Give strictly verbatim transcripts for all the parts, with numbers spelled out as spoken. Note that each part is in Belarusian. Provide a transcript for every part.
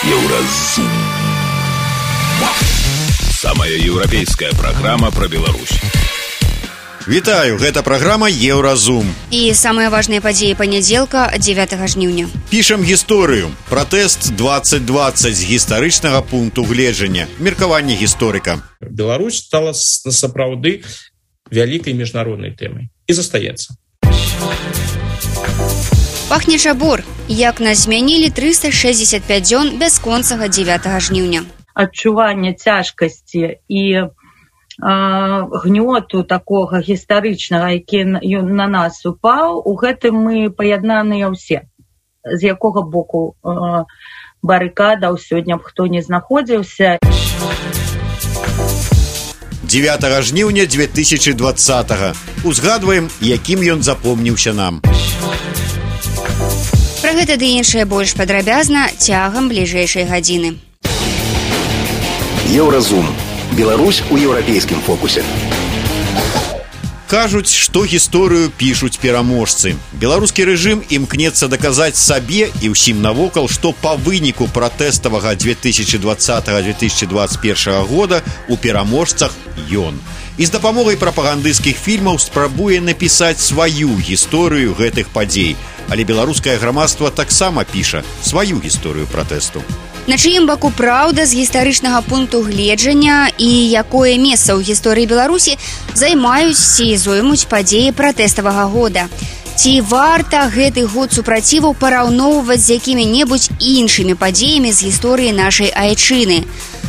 Еўразум. Самая еўрапейская праграма пра Беларусь. Вітаю, гэта праграма Еўразум. І самыя важныя падзеі панядзелка дзевятага жніўня. Пішам гісторыю. Пратэст двадцать двадцать з гістарычнага пункту гледжання. Меркаванне гісторыка. Беларусь стала сапраўды вялікай міжнароднай тэмай і застаецца. Пахне чабор. Як нас змянілі трыста шэсцьдзесят пяць дзён бясконцага дзевятага жніўня. Адчуванне цяжкасці і гнёту такога гістарычнага, які на нас упаў, у гэтым мы паяднаныя ўсе. З якога боку барыкадаў сёння б хто не знаходзіўся. дзевятага жніўня две тысячи двадцатага. Узгадваем, якім ён запомніўся нам. Пра гэта ды іншае больш падрабязна цягам бліжэйшай гадзіны. Еўразум. Беларусь у еўрапейскім фокусе. Кажуць, што гісторыю пішуць пераможцы. Беларускі рэжым імкнецца даказаць сабе і ўсім навокал, што па выніку пратэставага две тысячи двадцатага - две тысячи двадцать первого года у пераможцах ён. І з дапамогай прапагандысцкіх фільмаў спрабуе напісаць сваю гісторыю гэтых падзей. Але беларускае грамадства таксама піша сваю гісторыю пратэсту. На чыім баку праўда з гістарычнага пункту гледжання і якое месца ў гісторыі Беларусі займаюць ці зоймуць падзеі пратэставага года? Ці варта гэты год супраціваў параўноўваць з якімі-небудзь іншымі падзеямі з гісторыі нашай айчыны?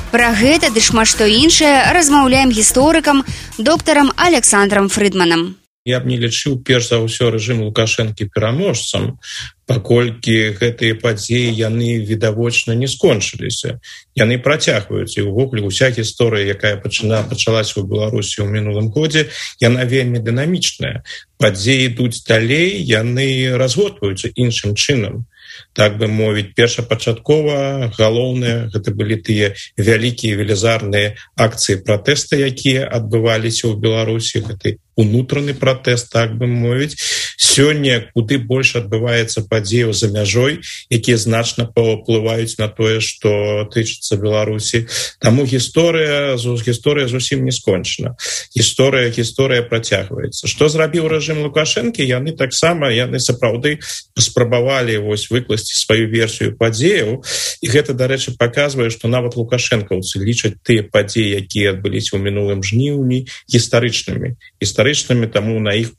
Пра гэта ды шмат што іншае размаўляем гісторыкам доктарам Александрам Фрыдманам. Я б не лічыў перш за ўсё рэжым Лукашэнкі пераможцам, паколькі гэтыя падзеі яны відавочна не скончыліся. Яны працягваюць, і ўвогуле ўся гісторыя, якая пачына пачалася ў Беларусі ў мінулым годзе, яна вельмі дынамічная. Падзеі ідуць далей, яны разгортваюцца іншым чынам. Так бы мовіць, першапачаткова галоўнае гэта былі тыя вялікія велізарныя акцыі пратэста, якія адбываліся ў Беларусі, гэты унутраны пратэст, так бы мовіць. Сёння куды больш адбываецца падзеяў за мяжой, якія значна паўплываюць на тое, што тычыцца Беларусі. Таму гісторыя, гісторыя зусім не скончана. Гісторыя, гісторыя працягваецца. Што зрабіў рэжым Лукашэнкі? Яны таксама, яны сапраўды паспрабавалі вось выкласці сваю версію падзеяў, і гэта, дарэчы, паказвае, што нават лукашэнкаўцы лічаць тыя падзеі, якія адбыліся ў мінулым жніўні, гістарычнымі. Гістарычнымі, таму на іх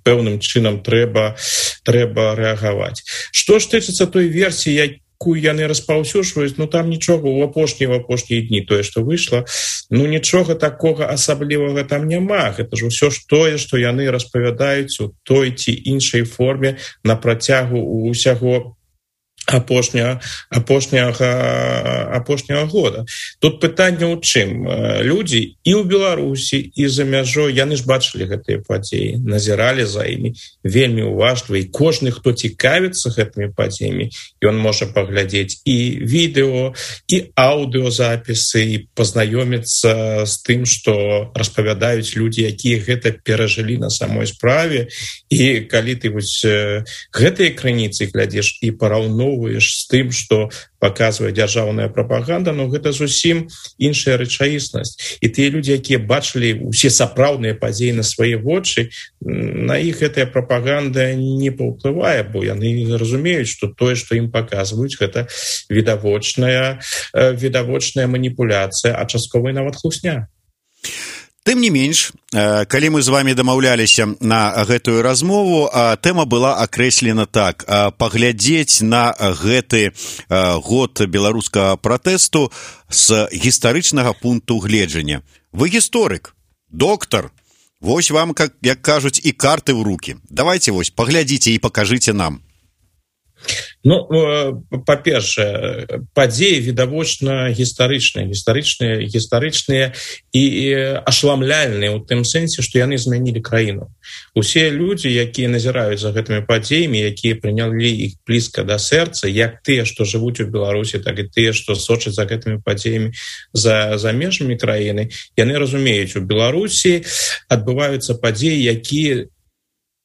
пэўным чынам трэба, трэба рэагаваць. Што ж тычыцца той версіі, якую яны распаўсюджваюць, ну там нічога ў апошнія ў апошнія дні, тое, што выйшла, ну нічога такога асаблівага там няма. Гэта ж усё ж тое, што яны распавядаюць у той ці іншай форме на працягу ўсяго апошняга, апошняга, апошняга года. Тут пытанне ў чым? Людзі і ў Беларусі, і за мяжой, яны ж бачылі гэтыя падзеі, назіралі за імі вельмі уважліва, і кожны, хто цікавіцца гэтымі падзеямі, ён можа паглядзець і відэо, і аўдыёзапісы, і пазнаёміцца з тым, што распавядаюць людзі, якія гэта перажылі на самой справе. І калі ты вось гэтыя крыніцы глядзіш і параўноўваеш з тым, што паказвае дзяржаўная прапаганда, но гэта зусім іншая рэчаіснасць. І тыя людзі, якія бачылі ўсе сапраўдныя падзеі на свае вочы, на іх гэтая прапаганда не паўплывае, бо яны разумеюць, што тое, што ім паказваюць, гэта відавочная, відавочная маніпуляцыя, а частковая нават хлусня. Тым не менш, калі мы з вами дамаўляліся на гэтую размову, тэма была акрэслена так: паглядзець на гэты год беларускага пратэсту з гістарычнага пункту гледжання. Вы гісторык, доктар, вось вам, як кажуць, і карты ў рукі. Давайте вось паглядзіце і пакажыце нам. Ну, па-першае, падзеі відавочна гістарычныя, гістарычныя, гістарычныя і ашламляльныя ў тым сэнсе, што яны змянілі краіну. Усе людзі, якія назіраюць за гэтымі падзеямі, якія прынялі іх блізка да сэрца, як тыя, што жывуць у Беларусі, так і тыя, што сочаць за гэтымі падзеямі за, за межамі краіны, яны разумеюць, у Беларусі адбываюцца падзеі, якія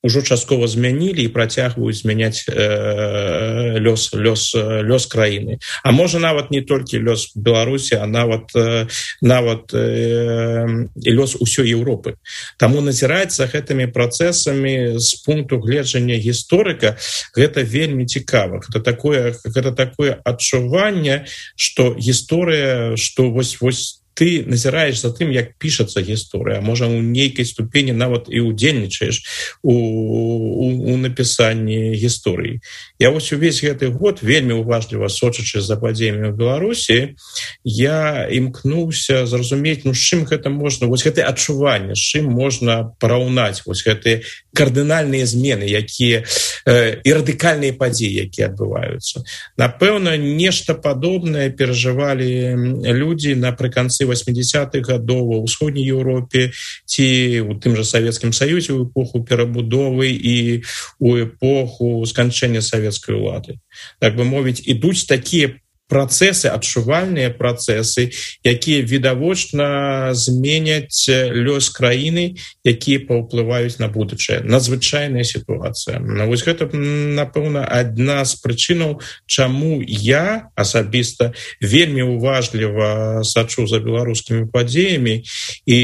ужо часткова змянілі і працягваюць змяняць э, лёс, лёс, лёс краіны. А можа нават не толькі лёс Беларусі, а нават, э, нават э, лёс усёй Еўропы. Таму назіраць за гэтымі працэсамі з пункту гледжання гісторыка гэта вельмі цікава. Гэта такое, гэта такое адчуванне, што гісторыя, што вось вось ты назіраеш за тым, як пішацца гісторыя, можа у нейкай ступені нават і удзельнічаеш у, у, у напісанні гісторыі. Я вось увесь гэты год вельмі уважліва сочачы за падзеямі ў Беларусі, я імкнуўся зразумець, ну з чым гэта можна, вось гэтае адчуванне, з чым можна параўнаць вось гэтыя кардынальныя змены, якія э, і радыкальныя падзеі, якія адбываюцца. Напэўна, нешта падобнае перажывалі людзі напрыканцы восьмидесятых гадоў у ўсходняй Еўропе ці у тым жа Савецкім Саюзе ў эпоху перабудовы і ў эпоху сканчэння савецкай улады. Так бы мовіць, ідуць такія працэсы, адчувальныя працэсы, якія відавочна зменяць лёс краіны, якія паўплываюць на будучае. Надзвычайная сітуацыя. Вось гэта, напэўна, адна з прычынаў, чаму я асабіста вельмі уважліва сачу за беларускімі падзеямі і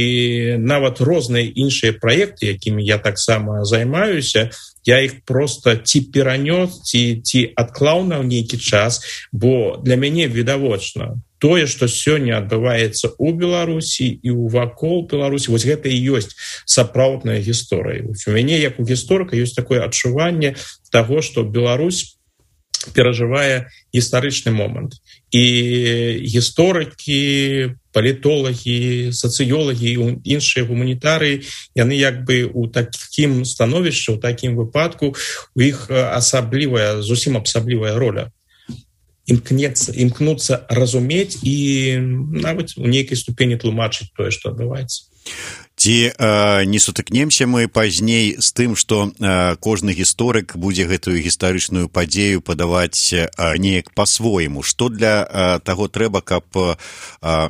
нават розныя іншыя праекты, якімі я таксама займаюся, я іх проста ці перанёс, ці, ці адклаў на нейкі час, бо для мяне відавочна тое, што сёння адбываецца ў Беларусі і ў вакол Беларусі, вось гэта і ёсць сапраўдная гісторыя. У мяне, як у гісторыка, ёсць такое адчуванне таго, што Беларусь перажывае гістарычны момант. І гісторыкі, палітолагі, сацыёлагі і іншыя гуманітарыі, яны як бы ў такім становішчы, ў такім выпадку у іх асаблівая, зусім асаблівая роля. Імкнецца, імкнуцца разумець і нават у нейкай ступені тлумачыць тое, што адбываецца. Ці э, не сутыкнемся мы пазней з тым, што э, кожны гісторык будзе гэтую гістарычную падзею падаваць э, неяк па-свойму. Што для э, таго трэба, каб э,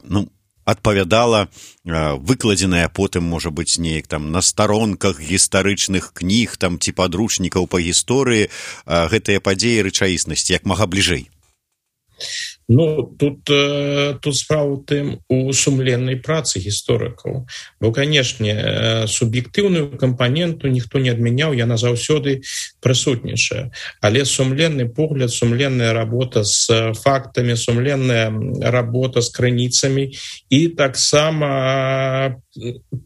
ну, адпавядала э, выкладзеная потым, можа быць, неяк там на старонках гістарычных кніг там ці падручнікаў па гісторыі э, гэтыя падзеі рэчаіснасці як мага бліжэй? Ну, тут, тут справа ў тым у сумленнай працы гісторыкаў. Бо, канешне, суб'ектыўную кампаненту ніхто не адмяняў, яна заўсёды прысутнічае. Але сумленны погляд, сумленная работа з фактамі, сумленная работа з крыніцамі і таксама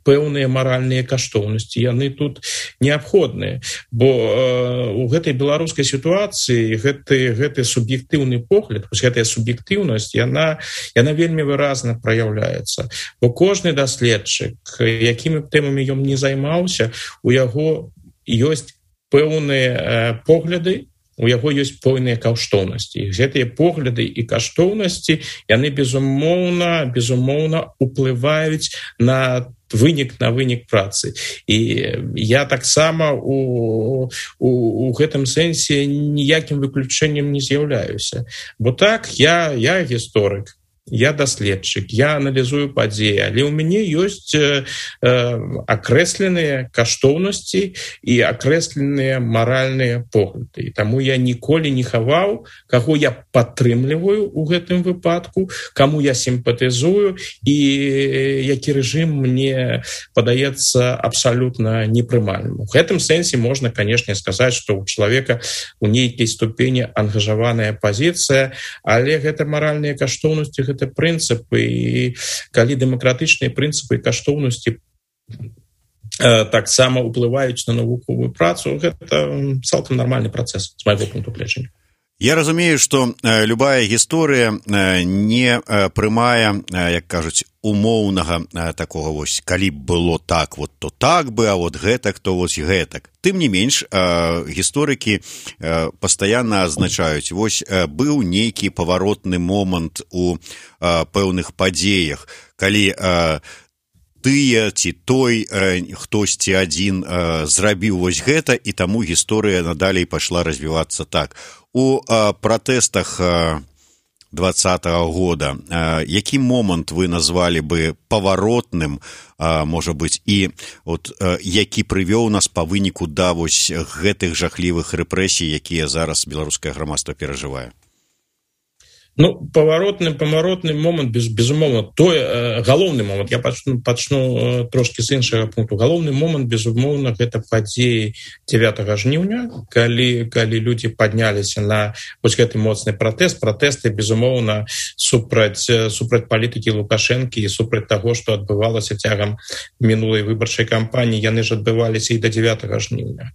пэўныя маральныя каштоўнасці, яны тут неабходныя. Бо э, у гэтай беларускай сітуацыі гэты, гэты суб'ектыўны погляд, гэтая суб'ектыўнасць, яна, яна вельмі выразна праяўляецца. Бо кожны даследчык, якімі тэмамі ён не займаўся, у яго ёсць пэўныя э, погляды, у яго ёсць пэўныя каштоўнасці. Гэтыя погляды і каштоўнасці, яны безумоўна, безумоўна уплываюць на вынік на вынік працы. І я таксама у, у, у гэтым сэнсе ніякім выключэннем не з'яўляюся. Бо так, я, я гісторык, я даследчык, я аналізую падзеі, але ў мяне ёсць э, акрэсленыя каштоўнасці і акрэсленыя маральныя погляды. І таму я ніколі не хаваў, каго я падтрымліваю ў гэтым выпадку, каму я сімпатызую і які рэжым мне падаецца абсалютна непрымальным. У гэтым сэнсе можна, канешне, сказаць, што ў чалавека у нейкай ступені ангажаваная пазіцыя, але гэта маральныя каштоўнасці, гэта прынцыпы, і калі дэмакратычныя прынцыпы і каштоўнасці э, таксама ўплываюць на навуковую працу, гэта цалкам нармальны працэс з майго пункту гледжання. Я разумею, што э, любая гісторыя э, не э, прымае, э, як кажуць, умоўнага э, такога вось, калі б было так, вот то так бы, а вот гэтак, то вось гэтак. Тым не менш, э, гісторыкі э, пастаянна азначаюць, вось э, быў нейкі паваротны момант у э, пэўных падзеях, калі э, тыя ці той э, хтосьці адзін э, зрабіў вось гэта, і таму гісторыя надалей пайшла развівацца так. У э, пратэстах э, двадцатага года. Які момант вы назвалі бы паваротным, можа быць, і от які прывёў нас па выніку да вось гэтых жахлівых рэпрэсій, якія зараз беларускае грамадства перажывае? Ну, поворотный, поворотный момент, без, безумовно, то э, галоўны момент, я пачну, пачну э, трошки з іншага пункту. Галоўны момент, безумовно, гэта падзеі дзевятага жніўня, калі, калі людзі падняліся на вось гэты моцны пратэст, пратэсты, безумовно, супраць, супраць палітыкі Лукашэнкі і супраць таго, што адбывалася цягам мінулай выбарчай кампаніі, яны ж адбываліся і да дзевятага жніўня.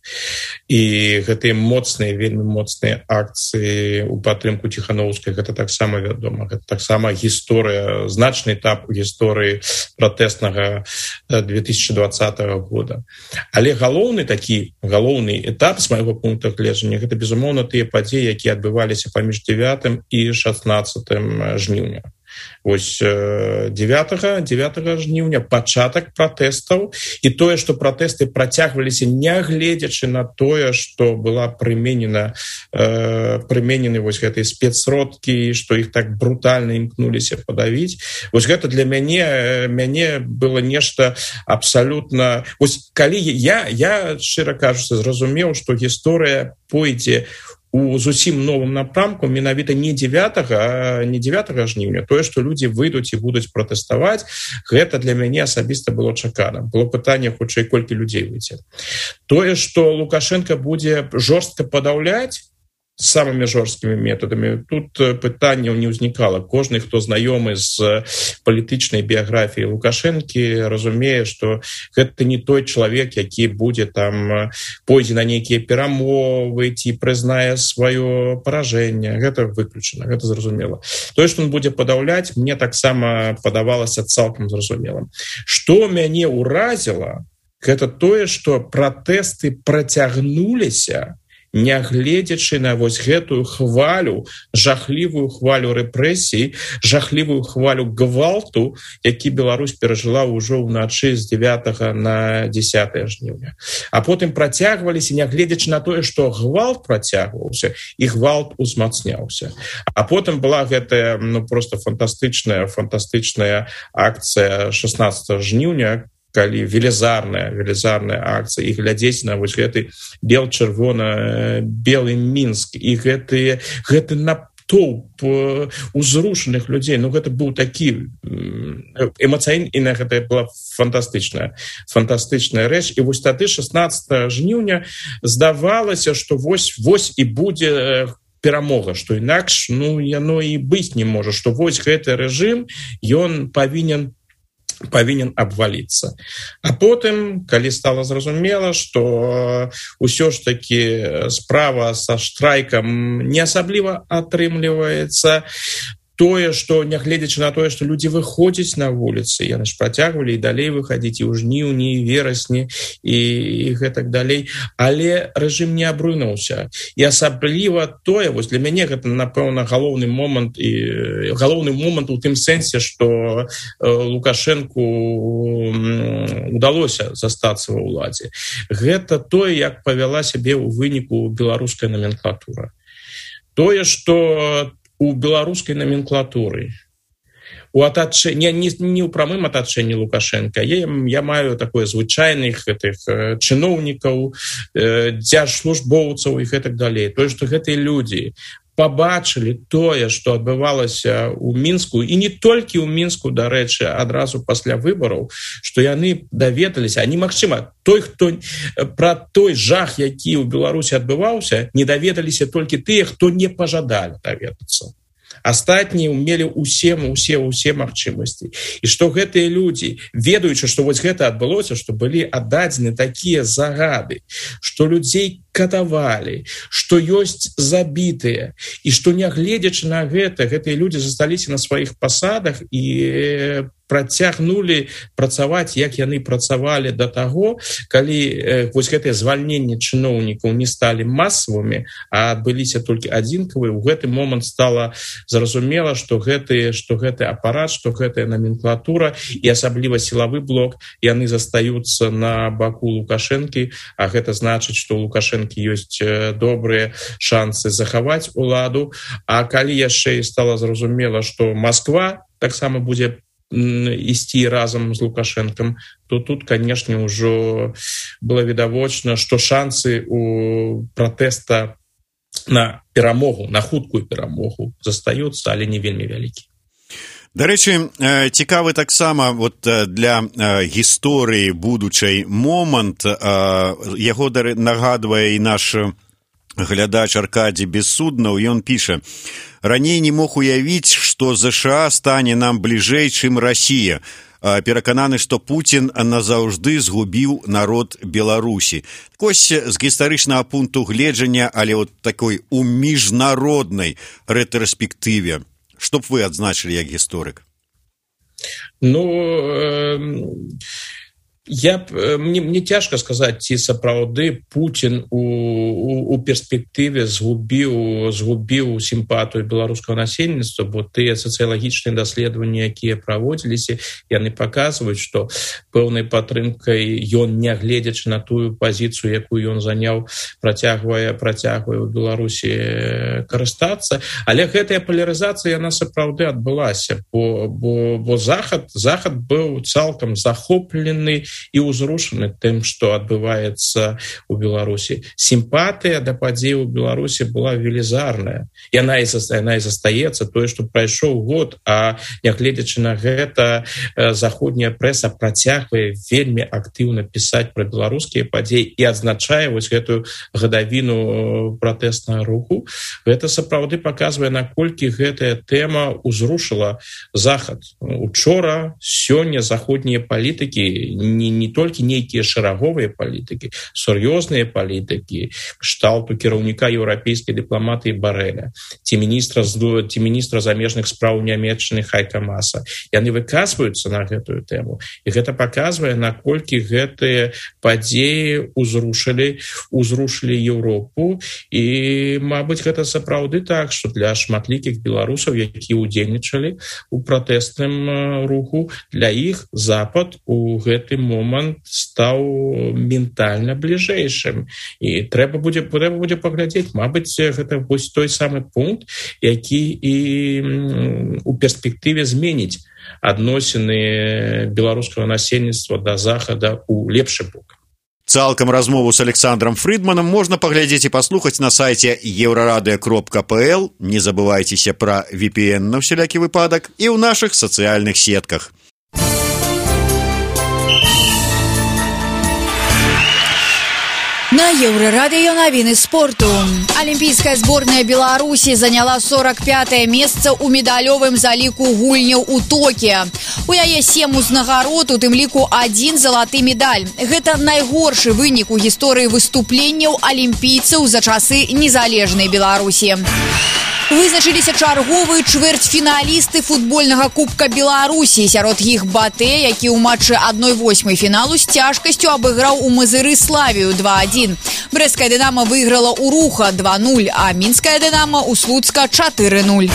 І гэтыя моцныя, вельмі моцныя акцыі ў падтрымку Ціхановскай, гэта так таксама вядома, гэта таксама гісторыя, значны этап у гісторыі пратэснага две тысячи двадцатага года. Але галоўны такі, галоўны этап з майго пункта гледжання, гэта, безумоўна, тыя падзеі, якія адбываліся паміж дзевятым і шаснаццатым жніўня. Вось дзевятага жніўня пачатак пратэстаў і тое, што пратэсты працягваліся, нягледзячы на тое, што была прыменена э, прыменены вось гэтыя спецсродкі, што іх так брутальна імкнуліся падавіць. Вось гэта для мяне мяне было нешта абсалютна... Вось калі я, я шчыра кажучы, зразумеў, што гісторыя пойдзе у зусім новым напрамку, менавіта не дзевятага, не дзевятага жніўня, тое, што людзі выйдуць і будуць пратэставаць, гэта для мяне асабіста было чакана. Было пытанне, хутчэй, колькі людзей выйдзе. Тое, што Лукашенко будзе жорстка падаўляць самымі жорсткімі метадамі, тут пытанняў не ўзнікала. Кожны, хто знаёмы з палітычнай біяграфіяй Лукашэнкі, разумее, што гэта не той чалавек, які будзе там пойдзе на нейкія перамовы ці прызнае сваё паражэнне. Гэта выключана, гэта зразумела. Тое, што ён будзе падаўляць, мне таксама падавалася цалкам зразумелым. Што мяне ўразіла, гэта тое, што пратэсты працягнуліся, нягледзячы на вось гэтую хвалю, жахлівую хвалю рэпрэсій, жахлівую хвалю гвалту, які Беларусь перажыла ўжо ўначы з дзевятага на дзесятае жніўня. А потым працягваліся, нягледзячы на тое, што гвалт працягваўся, і гвалт узмацняўся. А потым была гэтая, ну, просто фантастычная, фантастычная акцыя шаснаццатага жніўня, калі велізарная, велізарная акцыя, і глядзець на вось гэты бел-чырвона-белы Мінск, і гэты, гэты натоўп узрушаных людзей, ну гэта быў такі эмацыйна, гэта была фантастычная, фантастычная рэч. І вось тады шаснаццатага жніўня здавалася, што вось, вось і будзе перамога, што інакш, ну, яно і быць не можа, што вось гэты рэжым, ён павінен павінен абваліцца. А потым, калі стала зразумела, што ўсё ж такі справа са штрайкам не асабліва атрымліваецца, тое, што нягледзячы на тое, што людзі выходзяць на вуліцы, яны ж працягвалі і далей выхадзіць і ў жніўні, і верасні, і, і гэтак далей, але рэжым не абрынуўся. І асабліва тое, вось для мяне гэта, напэўна, галоўны момант, і галоўны момант у тым сэнсе, што Лукашэнку удалося застацца ва ўладзе. Гэта тое, як павяла сябе ў выніку беларуская номенклатура. Тое, што у беларускай номенклатуры, у атачэнні, не, не ў прамым атачэнні Лукашенка, я, я маю такое звычайных гэтых чыноўнікаў, дзяржслужбоўцаў і гэтак далей. Тое, што гэтыя людзі пабачылі тое, што адбывалася ў Мінску, і не толькі ў Мінску, дарэчы, адразу пасля выбараў, што яны даведаліся, а немагчыма, той, хто пра той жах, які ў Беларусі адбываўся, не даведаліся толькі тыя, хто не пажадалі даведацца. Астатнія мелі ўсе, ўсе, ўсе магчымасці. І што гэтыя людзі, ведаючы, што вось гэта адбылося, што былі аддадзены такія загады, што людзей катавалі, што ёсць забітыя, і што нягледзячы на гэта, гэтыя людзі засталіся на сваіх пасадах і працягнулі працаваць, як яны працавалі да таго, калі э, вось гэтыя звальненні чыноўнікаў не сталі масавымі, а адбыліся толькі адзінкавыя. У гэты момант стала зразумела, што гэты, што гэты апарат, што гэтая номенклатура і асабліва сілавы блок, яны застаюцца на баку Лукашэнкі, а гэта значыць, што Лукашенко лукашэнкі ёсць добрыя шансы захаваць уладу. А калі яшчэ стала зразумела, што Москва таксама будзе ісці разам з Лукашэнкам, то тут, канешне, ўжо было відавочна, што шансы у пратэста на перамогу, на хуткую перамогу застаюцца, але не вельмі вялікі. Дарэчы, цікавы таксама вот для гісторыі будучай момант, яго нагадвае і наш глядач Аркадий Бессуднаў, ён піша: «Раней не мог уявіць, што ЗША стане нам бліжэй, чым Расія. Перакананы, што Пуцін назаўжды згубіў народ Беларусі». Кось з гістарычнага пункту гледжання, але от такой у міжнароднай рэтраспектыве, што б вы адзначылі як гісторык? Ну, э, я, мне, мне цяжка сказаць, ці сапраўды Пуцін у, у, у перспектыве згубіў, згубіў сімпатыю беларускага насельніцтва, бо тыя сацыялагічныя даследаванні, якія праводзіліся, яны паказваюць, што пэўнай падтрымкай ён, нягледзячы на тую пазіцыю, якую ён заняў, працягвае, працягвае ў Беларусі карыстацца. Але гэтая палярызацыя, яна сапраўды адбылася, бо, бо, бо Захад, Захад быў цалкам захоплены і ўзрушаны тым, што адбываецца ў Беларусі. Сімпатыя да падзей у Беларусі была велізарная. Яна і, яна і застаецца, тое, што прайшоў год, а нягледзячы на гэта, заходняя прэса працягвае вельмі актыўна пісаць пра беларускія падзеі і адзначае вось гэтую гадавіну пратэснага руху. Гэта сапраўды паказвае, наколькі гэтая тэма ўзрушыла Захад. Учора, сёння заходнія палітыкі, не, не толькі нейкія шараговыя палітыкі, сур'ёзныя палітыкі, кшталту кіраўніка еўрапейскай дыпламатыі Барэля, ці міністра, ці міністра замежных спраў Нямецчыны Хайка Мааса. Яны выказваюцца на гэтую тэму. І гэта паказвае, наколькі гэтыя падзеі ўзрушылі, ўзрушылі Еўропу. І, мабыць, гэта сапраўды так, што для шматлікіх беларусаў, якія ўдзельнічалі ў пратэсным руху, для іх Запад у гэты момант стаў ментальна бліжэйшым. І трэба будзе, трэба будзе паглядзець, мабыць, гэта вось той самы пункт, які і у перспектыве зменіць адносіны беларускага насельніцтва да Захада ў лепшы бок. Цалкам размову з Александром Фридманом можна паглядзець і паслухаць на сайце еўрарадыё кропка пэ эл. Не забывайцеся пра ви пі эн на ўсялякі выпадак і ў нашых сацыяльных сетках. На Еўрарадыё навіны спорту. Алімпійская зборная Беларусі заняла сорок пятае месца ў медалёвым заліку гульняў у Токіа. У яе сем узнагарод, у тым ліку адзін залаты медаль. Гэта найгоршы вынік у гісторыі выступленняў алімпійцаў за часы незалежнай Беларусі. Вызначыліся чарговыя чвэрцьфіналісты футбольнага кубка Беларусі. Сярод іх Батэ, які ў матчы адной восьмай фіналу з цяжкасцю абыграў у Мазыры Славію два адзін. Брэсцкая Дынама выйграла ў Руха два нуль, а Мінская Дынама ў Слуцка чатыры нуль.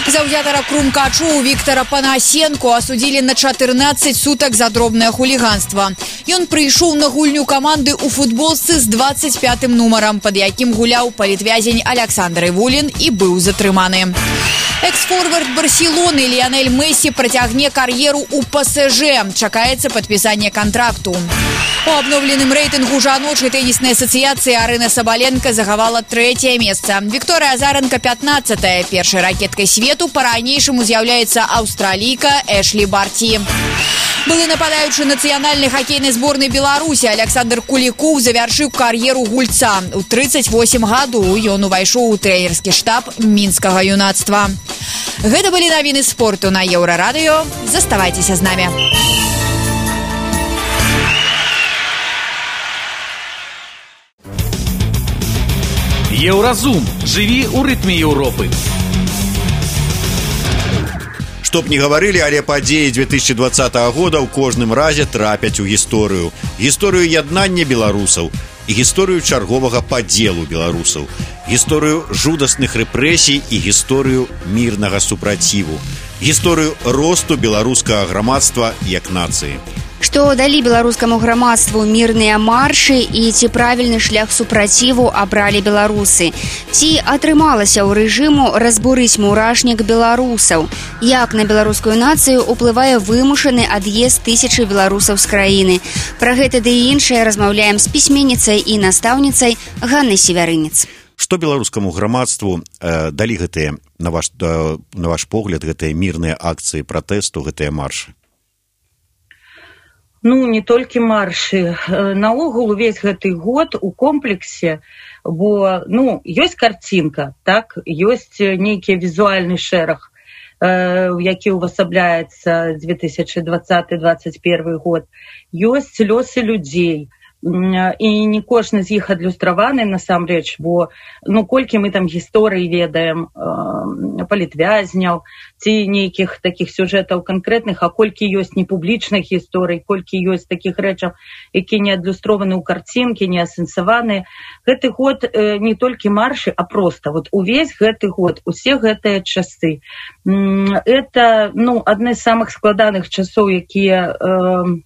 Заўзятара крумкачоў Віктара Панасенко асудзілі на чатырнаццаць сутак за дробнае хуліганства. Ён прыйшоў на гульню каманды ў футболцы з дваццаць пятым нумарам, пад якім гуляў палітвязень Александр Івулін і быў затрыманы. Экс-форвард Барселоны Ліянель Мессі працягне кар'еру ў пэ эс жэ. Чакаецца падпісанне кантракту. У абноўленым рэйтынгу жаночай тэніснай асацыяцыі Арына Сабаленка захавала трэцяе месца. Вікторыя Азаренка пятнаццатая. Першай ракеткай свету па-ранейшаму з'яўляецца аўстралійка Эшлі Барці. Былы нападаючы нацыянальнай хакейнай зборнай Беларусі Александр Кулікоў завяршыў кар'еру гульца. У трыццаць восем гадоў ён увайшоў у трэнерскі штаб мінскага юнацтва. Гэта былі навіны спорту на Еўрарадыё. Заставайцеся з намі. Еўразум. Жыві ў рытме Еўропы. Што б не гаварылі, але падзеі две тысячи двадцатого года ў кожным разе трапяць у гісторыю. Гісторыю яднання беларусаў і гісторыю чарговага падзелу беларусаў. Гісторыю жудасных рэпрэсій і гісторыю мірнага супраціву. Гісторыю росту беларускага грамадства як нацыі. Што далі беларускаму грамадству мірныя маршы і ці правільны шлях супраціву абралі беларусы? Ці атрымалася ў рэжыму разбурыць мурашнік беларусаў? Як на беларускую нацыю ўплывае вымушаны ад'езд тысячы беларусаў з краіны? Пра гэта ды і іншае размаўляем з пісьменніцай і настаўніцай Ганнай Севярынец. Што беларускаму грамадству э, далі гэтыя, на ваш, э, на ваш погляд, гэтыя мірныя акцыі пратэсту, гэтыя маршы? Ну, не толькі маршы. Наогул увесь гэты год у комплексе, бо, ну, ёсць карцінка, так, ёсць нейкі візуальны шэраг, э, які ўвасабляецца две тысячы двадцаты — двадцать первый год. Ёсць лёсы людзей. І не кожны з іх адлюстраваны насамрэч, бо ну колькі мы там гісторыі ведаем э, палітвязняў ці нейкіх такіх сюжэтаў канкрэтных, а колькі ёсць непублічных гісторый, колькі ёсць такіх рэчаў, які не адлюстрованы ў карцінкі, не асэнсаваны. Гэты год э, не толькі маршы, а проста вот увесь гэты год, усе гэтыя часы. Это ну адны з самых складаных часоў, якія э,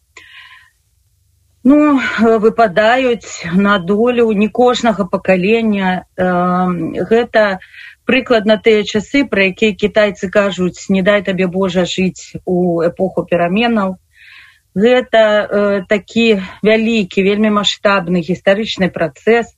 ну, выпадаюць на долю не кожнага пакалення. Гэта прыкладна тыя часы, пра якія кітайцы кажуць «не дай табе Божа жыць у эпоху пераменаў». Гэта такі вялікі, вельмі маштабны гістарычны працэс.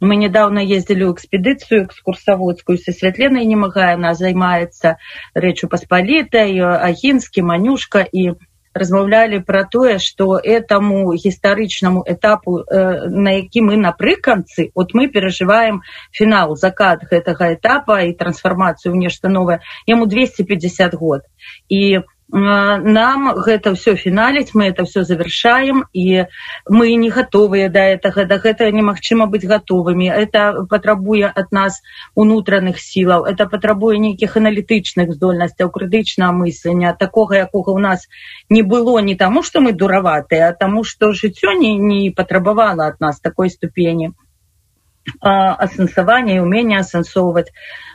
Мы нядаўна ездзілі ў экспедыцыю экскурсаводскую са Святленай Немагай, яна займаецца Рэччу Паспалітай, Агінскі, Манюшка, і размаўлялі пра тое, што этаму гістарычнаму этапу, э, на які мы напрыканцы, от мы перажываем фінал, закат гэтага этапа і трансфармацыю ў нешта новае, яму двести пятьдесят год. І нам гэта ўсё фіналіць, мы это ўсё завяршаем, і мы не гатовыя да гэтага, да гэтага немагчыма быць гатовымі. Это патрабуе ад нас унутраных сілаў, это патрабуе нейкіх аналітычных здольнасцяў, крытычнага мыслення, такога, якога ў нас не было не таму, што мы дураватыя, а таму, што жыццё не, не патрабавала ад нас такой ступені асэнсавання і ўмення асэнсоўваць.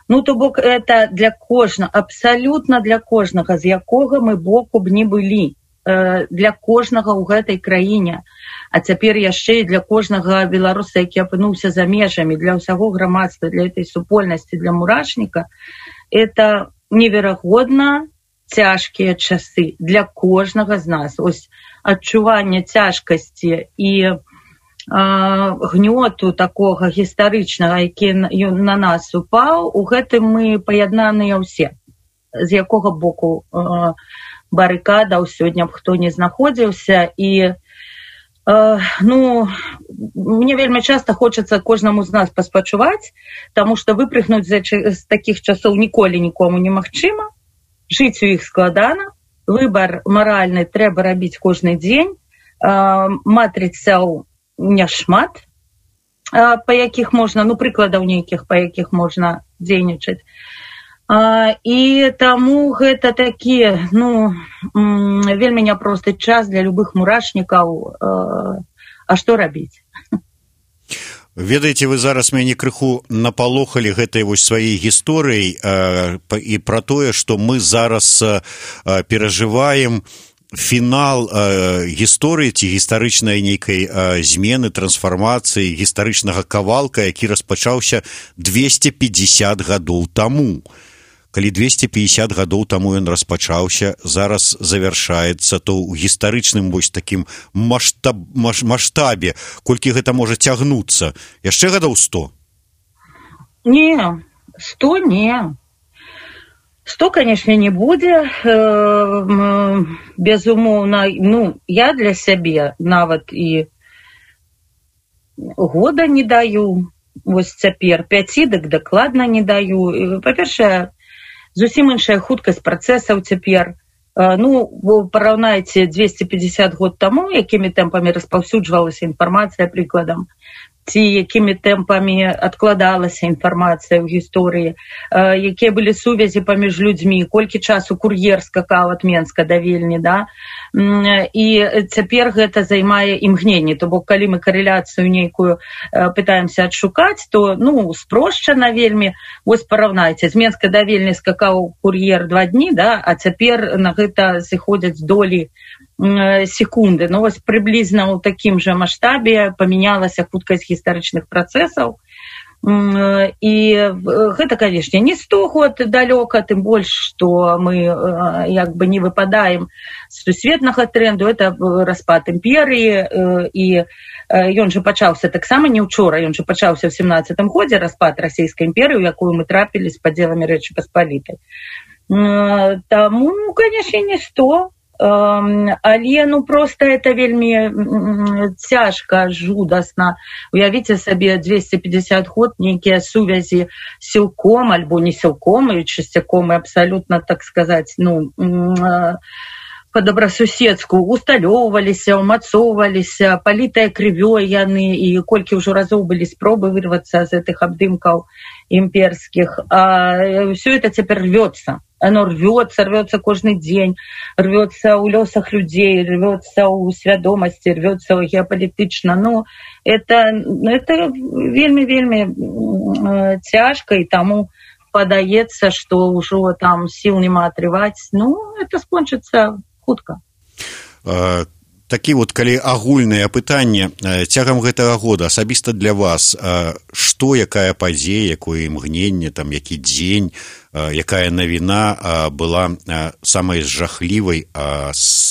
Ну, то бок, это для кожнага, абсалютна для кожнага, з якога мы боку б не былі, для кожнага ў гэтай краіне, а цяпер яшчэ і для кожнага беларуса, які апынуўся за межамі, для ўсяго грамадства, для этой супольнасці, для мурашніка, это неверагодна цяжкія часы для кожнага з нас. Ось адчуванне цяжкасці і гнёту такога гістарычнага, які на нас упаў, у гэтым мы паяднаныя ўсе, з якога боку э, барыкадаў сёння б хто не знаходзіўся. І э, ну, мне вельмі часта хочацца кожнаму з нас паспачуваць, таму што выпрыгнуць з, з такіх часоў ніколі нікому немагчыма, жыць у іх складана, выбар маральны трэба рабіць кожны дзень, э, матрыцаў няшмат, па якіх можна, ну, прыкладаў нейкіх, па якіх можна дзейнічаць. І таму гэта такі, ну, вельмі няпросты час для любых мурашнікаў. А што рабіць? Ведаеце, вы зараз мяне крыху напалохалі гэтай вось сваёй гісторыяй і пра тое, што мы зараз перажываем фінал э, гісторыі ці гістарычнай нейкай э, змены, трансфармацыі, гістарычнага кавалка, які распачаўся двести пятьдесят гадоў таму. Калі двести пятьдесят гадоў таму ён распачаўся, зараз завяршаецца, то ў гістарычным вось такім маштаб, маш, маштабе, колькі гэта можа цягнуцца? Яшчэ гадоў сто? Не, сто не. Сто, конечно, не будзе, безумоўна. Ну, я для сябе нават і года не даю, вось цяпер пяці, дык дакладна не даю. Па-першае, зусім іншая хуткасць працэсаў цяпер. Ну, параўнайце двести пятьдесят год таму, якімі тэмпамі распаўсюджвалася інфармацыя, прыкладам, ці якімі тэмпамі адкладалася інфармацыя ў гісторыі, якія былі сувязі паміж людзьмі, колькі часу кур'ер скакаў ад Менска да Вільні, да? І цяпер гэта займае імгненне. То бок, калі мы карэляцыю нейкую пытаемся адшукаць, то, ну, спрошчана вельмі. Вось параўнайце, з Менска да Вільні скакаў кур'ер два дні, да? А цяпер на гэта зыходзяць долі секунды. Но вось прыблізна ў такім жа маштабе памянялася хуткасць гістарычных працэсаў. І гэта, канешне, не сто год далёка, тым больш, што мы як бы не выпадаем з сусветнага тренду. Это распад імперыі, і ён жа пачаўся таксама не ўчора, ён жа пачаўся ў семнаццатым годзе, распад расійскай імперыі, у якую мы трапілі з падзеламі Рэчы Паспалітай. Таму, канешне, не сто. Але ну просто это вельмі цяжка, жудасна. Уявіце сабе дзвесце пятьдесят год нейкія сувязі сілком альбо не сілком і часцяком і абсалютна, так сказаць, ну па-добрасуседску усталёўваліся, умацоўваліся, палітыя крывёй яны, і колькі ўжо разоў былі спробы вырвацца з гэтых абдымкаў імперскіх. А ўсё это цяпер рвёцца. Оно рвется, рвется каждый день, рвется у лёсах людей, рвется у свядомости, рвется геополитично. Ну, это, это вельми-вельми э, тяжко, и тому подаецца, что уже там сил нема отрывать. Ну, это скончится хутка. А... Такі вот, калі агульнае пытанне, цягам гэтага года асабіста для вас, што, якая падзея, якое імгненне, там, які дзень, якая навіна была самай жахлівай,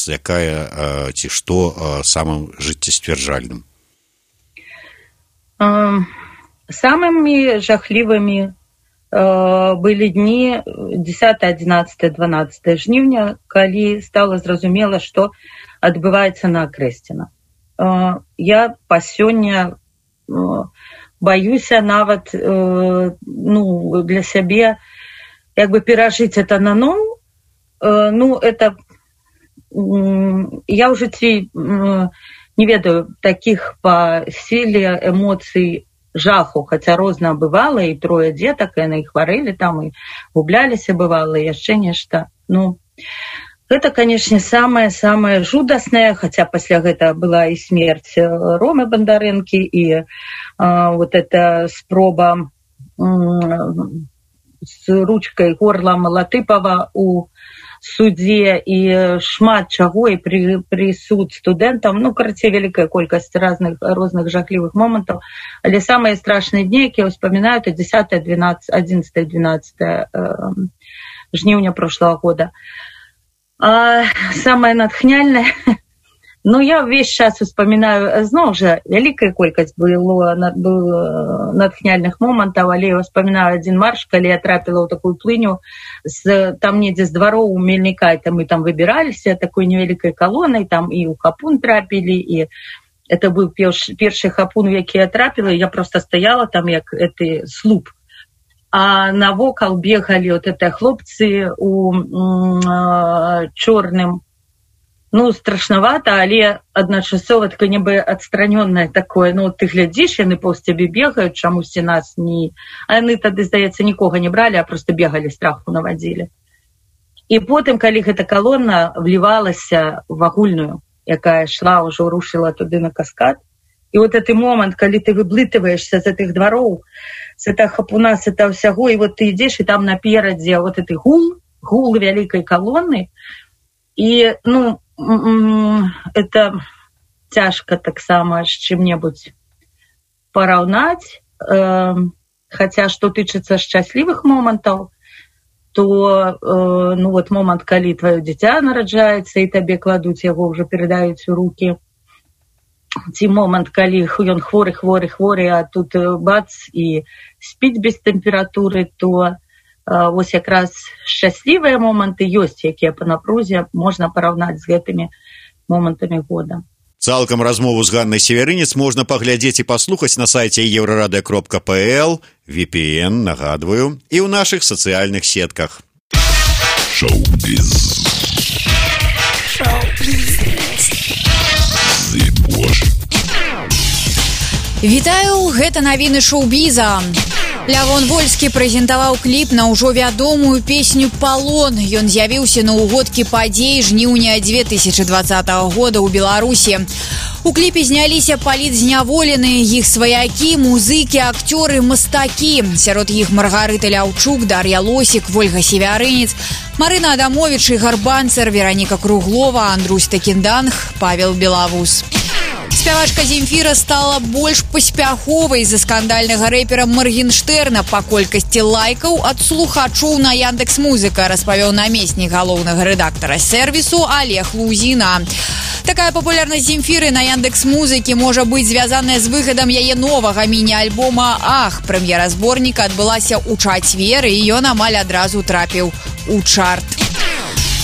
якая, ці што, самым жыццесцвярджальным? Самымі жахлівымі былі дні дзесятое, одиннадцатое, дванадцатое жніўня, калі стала зразумела, што адбываецца на Акрэсціна. Я па сёння баюся нават ну, для сябе як бы перажыць это наноў. Ну, это я ў жыцці не ведаю такіх па сіле эмоцый жаху, хаця розна бывала, і трое дзетак, і яны хварэлі там, і губляліся бывала, і яшчэ нешта. Ну, гэта, канешне, самае-самае жудаснае, хаця пасля гэта была і смерць Ромы Бандарэнкі, і а, вот эта спроба м, з ручкай горла Малатыпава у судзе, і шмат чаго, і при, прысуд студэнтам, ну, карацей, вялікая колькасць разных, розных жахлівых момантаў, але самыя страшныя дні, якія ўспамінаю, это дзесятое, двенадцатое, одиннадцатое, двенадцатое э, жніўня прошлого года. А самое натхняльное, ну, я весь час успоминаю, зноў жа, вялікая колькасць было, было натхняльных момантаў, але я успоминаю один марш, калі я трапіла ў такую плыню, з, там недзе з двароў у Мельніка, там мы там выбіраліся такой невялікай калонай, там і ў хапун трапілі, і это быў першы, першы хапун, у які я трапіла, і я просто стаяла там, як гэты слуп. А навокал бегали вот это хлопцы у э, чорным. Ну, страшновато, але адначасова такое небо адстранённое такое. Ну, ты глядзіш, яны паўз цябе бегаюць, чамусьці нас не... А яны тады, здаецца, нікога не бралі, а просто бегали, страху навадзілі. І потым, калі гэта калона влівалася в агульную, якая шла, ўжо рушила туды на каскад, і вот гэты момант, калі ты выблытываешься з гэтых двароў, з гэтага хапуна, з гэтага ўсяго, і вот ты ідзеш, і там наперадзе вот гэты гул, гул вялікай калоны, і, ну, это цяжка таксама з чым-небудзь параўнаць, э, хаця, што тычыцца шчаслівых момантаў, то, э, ну, вот момант, калі твоё дзіця нараджаецца, і табе кладуць яго, ўжо перадаюць у рукі, ці момант, калі ён хворы, хворы, хворы, а тут бац, і спіць без тэмпературы, то вось якраз шчаслівыя моманты ёсць, якія па напрузе можна параўнаць з гэтымі момантамі года. Цалкам размову з Ганнай Северынец можна паглядзець і паслухаць на сайце еўрарадыё кропка пэ эл, ви пі эн, нагадваю, і ў нашых сацыяльных сетках. Шоу-біз. Шоу-біз. Вітаю, гэта навіны шоу-біза. Лявон Вольскі прэзентаваў кліп на ўжо вядомую песню «Палон». Ён з'явіўся на ўгодкі падзей жніўня две тысячы двадцатага года ў Беларусі. У кліпе зняліся палітзняволеныя, іх сваякі, музыкі, акцёры, мастакі. Сярод іх Маргарыта Ляўчук, Дар'я Лосік, Вольга Севярынец, Марына Адамовіч, Ігар Банцер, Вераніка Круглова, Андрусь Такінданг, Павел Белавус. Спявачка Земфіра стала больш паспяховай за скандальнага рэпера Маргенштерна па колькасці лайкаў ад слухачоў на Яндекс.Музыка, распавёў намеснік галоўнага рэдактара сервісу Олег Лузіна. Такая папулярнасць Земфіры на Яндекс.Музыкі можа быць звязаная з выхадам яе новага міні-альбома «Ах». Прэм'ера зборніка адбылася ў чацвер, і ён амаль адразу трапіў у чарт.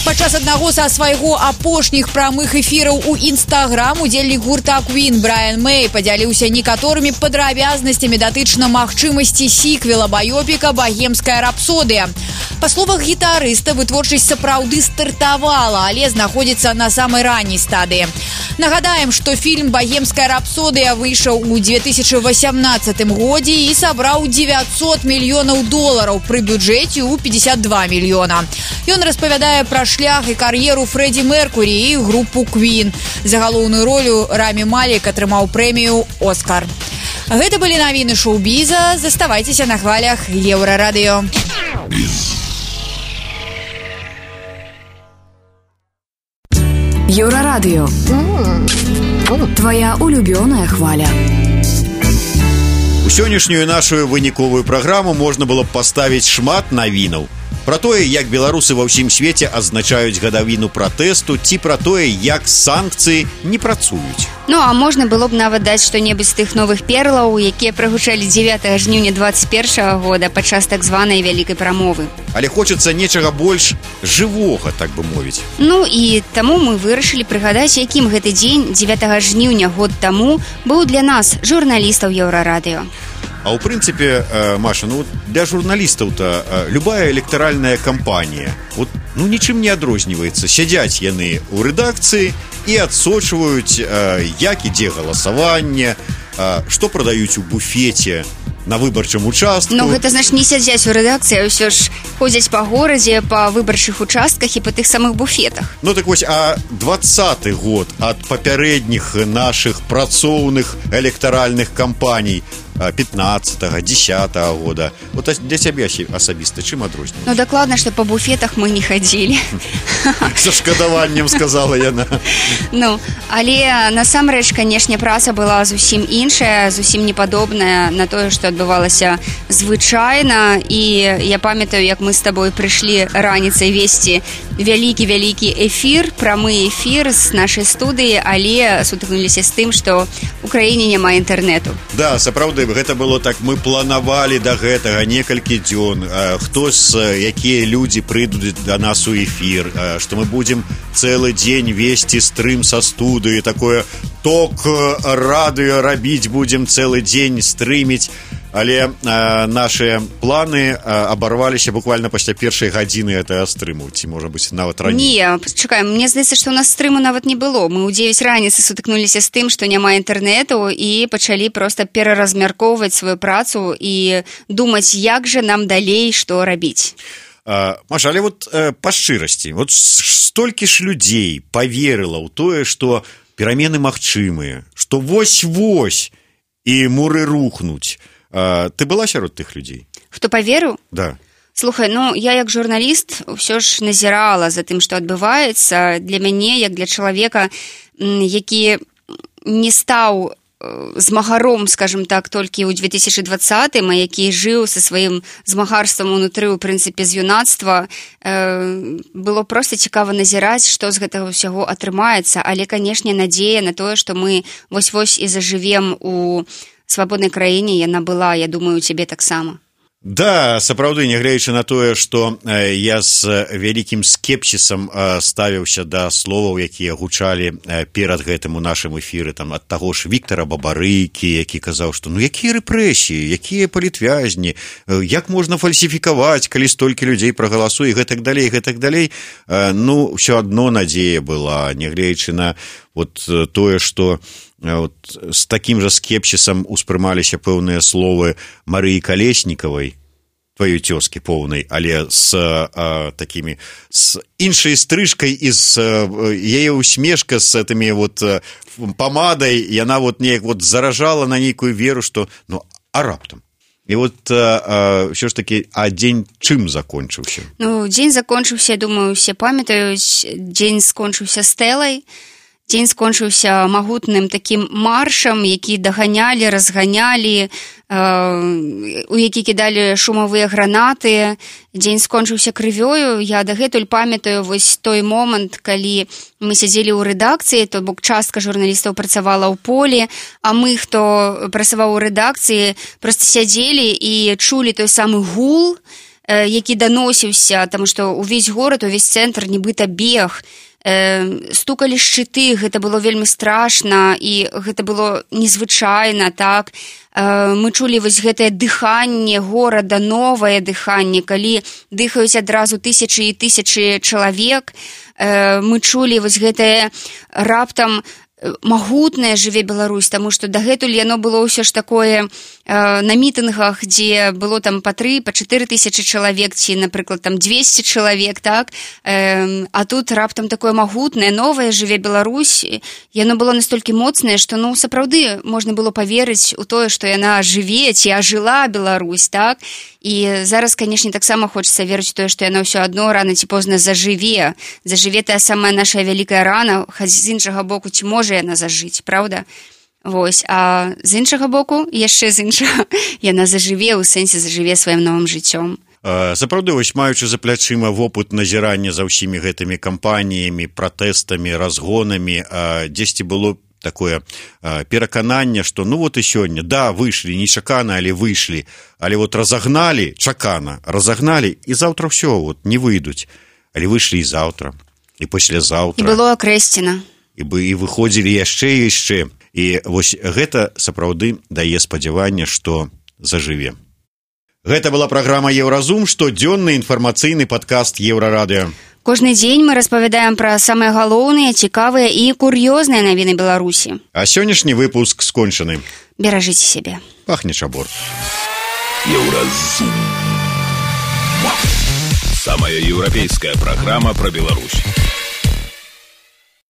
Падчас аднаго са свайго апошніх прамых эфіраў у Інстаграм удзельнік гурта Queen Брайан Мэй падзяліўся некаторымі падрабязнасцямі датычна магчымасці сіквела баёпіка «Багемская рапсодыя». Па словах гітарыста, вытворчасць сапраўды стартавала, але знаходзіцца на самай ранняй стадыі. Нагадаем, што фільм «Багемская рапсодыя» выйшаў у две тысячы васямнаццатым годзе і сабраў дзевяцьсот мільёнаў долараў пры бюджэце ў пятьдесят два мільёна. Ён распавядае пра шлях і кар'еру Фрэдзі Меркурі і групу Queen. За галоўную ролю Рамі Малек атрымаў прэмію «Оскар». Гэта былі навіны шоу-біза. Заставайцеся на хвалях Еўрарадыё. Еўрарадыё. Твоя улюбёная хваля. У сённяшнюю нашу выніковую праграму можна было б паставіць шмат навінаў. Пра тое, як беларусы ва ўсім свеце адзначаюць гадавіну пратэсту, ці пра тое, як санкцыі не працуюць. Ну, а можна было б нават даць што-небудзь з тых новых перлаў, якія прагучалі дзевятага жніўня двадцать першага года падчас так званай вялікай прамовы. Але хочацца нечага больш жывога, так бы мовіць. Ну, і таму мы вырашылі прыгадаць, якім гэты дзень дзевятага жніўня год таму быў для нас, журналістаў Еўрарадыё. А ў прынцыпе, Маша, ну для журналістаў-то любая электаральная кампанія вот, ну, нічым не адрозніваецца. Сядзяць яны ў рэдакцыі і адсочваюць, як ідзе галасаванне, што прадаюць у буфеце на выбарчым участку. Ну, гэта значыць не сядзяць у рэдакцыі, а ўсё ж ходзяць па горадзе, па выбарчых участках і па тых самых буфетах. Ну так вось, а двадцаты год ад папярэдніх нашых працоўных электаральных кампаній пятнадцатага, десятага года. Вот для цябе асабіста чым адрозніваецца? Ну, дакладна, што па буфетах мы не хадзілі. Са шкадаваннем сказала яна. Ну, але насамрэч, канешне, праца была зусім іншая, зусім не падобная на тое, што адбывалася звычайна. І я памятаю, як мы з табой прыйшлі раніцай весці вялікі-вялікі эфір, прамы эфір з нашай студыі, але сутыкнуліся з тым, што ў краіне няма інтэрнэту. Да, сапраўды, гэта было так, мы планавалі да гэтага некалькі дзён, хто з якія людзі прыйдуць да нас у эфір, што мы будзем цэлы дзень весці стрым са студыі, такое ток радыё рабіць будзем цэлы дзень стрыміць. Але э, наши планы э, абарваліся буквально пасля першай гадзіны гэтага стрыму, ці можа быць нават раней. Не, чакай, мне здаецца, што ў нас стрыму нават не было. Мы ў дзевяць раніцы сутыкнуліся з тым, што няма інтэрнэту, і пачалі проста пераразмяркоўваць сваю працу і думаць, як жа нам далей што рабіць. э, Маша, але вот э, па шчырасці, вот столькі ж людзей паверыла ў тое, што перамены магчымыя, што вось-вось і муры рухнуць. А, ты была сярод тых людзей? Хто паверыў? Да. Слухай, ну, я як журналіст ўсё ж назірала за тым, што адбываецца. Для мяне, як для чалавека, які не стаў змагаром, скажем так, толькі ў две тысячы двадцатым, а які жыў са сваім змагарствам унутры, у прынцыпе, з юнацтва, э, было проста цікава назіраць, што з гэтага ўсяго атрымаецца. Але, канешне, надзея на тое, што мы вось-вось і зажывем у свабоднай краіне, яна была, я думаю, у цябе таксама. Да, сапраўды, нягледзячы на тое, што э, я з вялікім скепсісам э, ставіўся да словаў, якія гучалі э, перад гэтым у нашым эфіры, там, ад таго ж Віктара Бабарыкі, які казаў, што ну якія рэпрэсіі, якія палітвязні, э, як можна фальсіфікаваць, калі столькі людзей прагаласуе, гэтак далей, гэтак далей. Э, ну, ўсё адно надзея была, нягледзячы на вот тое, што вот, з такім жа скепсісам успрымаліся пэўныя словы Марыі Калеснікавай, твоей тёзкі поўнай, але з а, такімі з іншай стрыжкай і з яе усмешка з этими вот памадай, яна вот неяк вот заражала на нейкую веру, што ну а раптам. І вот а, а, ўсё ж такі, а дзень чым закончыўся? Ну, дзень закончыўся, думаю, усе памятаюць, дзень скончыўся стэлай. Дзень скончыўся магутным такім маршам, які даганялі, разганялі, э, у які кідалі шумавыя гранаты. Дзень скончыўся крывёю. Я дагэтуль памятаю вось той момант, калі мы сядзелі ў рэдакцыі, то бок частка журналістаў працавала ў полі, а мы, хто працаваў у рэдакцыі, проста сядзелі і чулі той самы гул, э, які даносіўся, таму што ўвесь горад, увесь цэнтр нібыта бег, стукалі шчыты, гэта было вельмі страшна і гэта было незвычайна, так. Мы чулі вось гэтае дыханне горада, новае дыханне, калі дыхаюць адразу тысячы і тысячы чалавек. Мы чулі вось гэтае раптам магутная жыве Беларусь, таму што дагэтуль яно было ўсё ж такое э, на мітынгах, дзе было там па тры, па чатыры тысячы чалавек, ці, напрыклад, там двесце чалавек, так, э, а тут раптам такое магутнае, новае жыве Беларусь, яно было настолькі моцнае, што, ну, сапраўды можна было паверыць у тое, што яна жыве, ці ажыла Беларусь, так, і зараз, канешне, таксама хочацца верыць у тое, што яна ўсё адно рана ці позна зажыве, зажыве тая самая наша вялікая рана, хоць з іншага боку, ці можа яна зажыць, правда? Вось, а з іншага боку, яшчэ з іншага, яна зажыве, у сэнсе зажыве сваім новым жыццём. Сапраўды, вось маючы за плячыма вопыт назірання за ўсімі гэтымі кампаніямі, пратэстамі, разгонамі, дзесьці было такое э, перакананне, што ну вот і сёння, да, выйшлі, нечакана, але выйшлі, але вот разагналі, чакана, разагналі, і заўтра ўсё, вот, не выйдуць, але выйшлі і заўтра, і паслязаўтра. І было акрэсцена. І, бы, і выходзілі яшчэ і яшчэ. І вось гэта сапраўды дае спадзяванне, што зажыве. Гэта была праграма «Еўразум», штодзённы інфармацыйны падкаст Еўрарадыё. Кожны дзень мы распавядаем пра самыя галоўныя, цікавыя і кур'ёзныя навіны Беларусі. А сённяшні выпуск скончаны. Беражыце сябе. Пахне чабор. Еўразум. Самая еўрапейская праграма пра Беларусь.